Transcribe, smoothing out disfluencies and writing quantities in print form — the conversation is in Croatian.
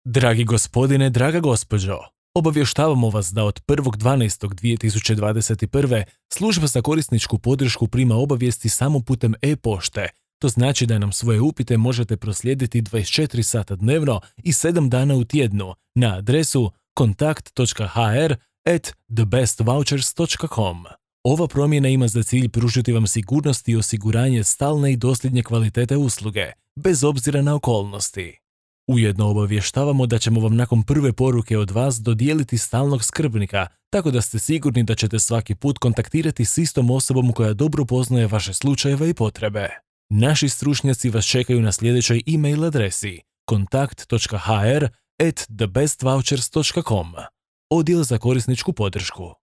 Dragi gospodine, draga gospođo, obavještavamo vas da od 1.12.2021. služba za korisničku podršku prima obavijesti samo putem e-pošte. To znači da nam svoje upite možete proslijediti 24 sata dnevno i 7 dana u tjednu na adresu kontakt.hr@thebestvouchers.com. Ova promjena ima za cilj pružiti vam sigurnost i osiguranje stalne i dosljednje kvalitete usluge, bez obzira na okolnosti. Ujedno obavještavamo da ćemo vam nakon prve poruke od vas dodijeliti stalnog skrbnika, tako da ste sigurni da ćete svaki put kontaktirati s istom osobom koja dobro poznaje vaše slučajeve i potrebe. Naši stručnjaci vas čekaju na sljedećoj e-mail adresi kontakt.hr@thebestvouchers.com. Odjel za korisničku podršku.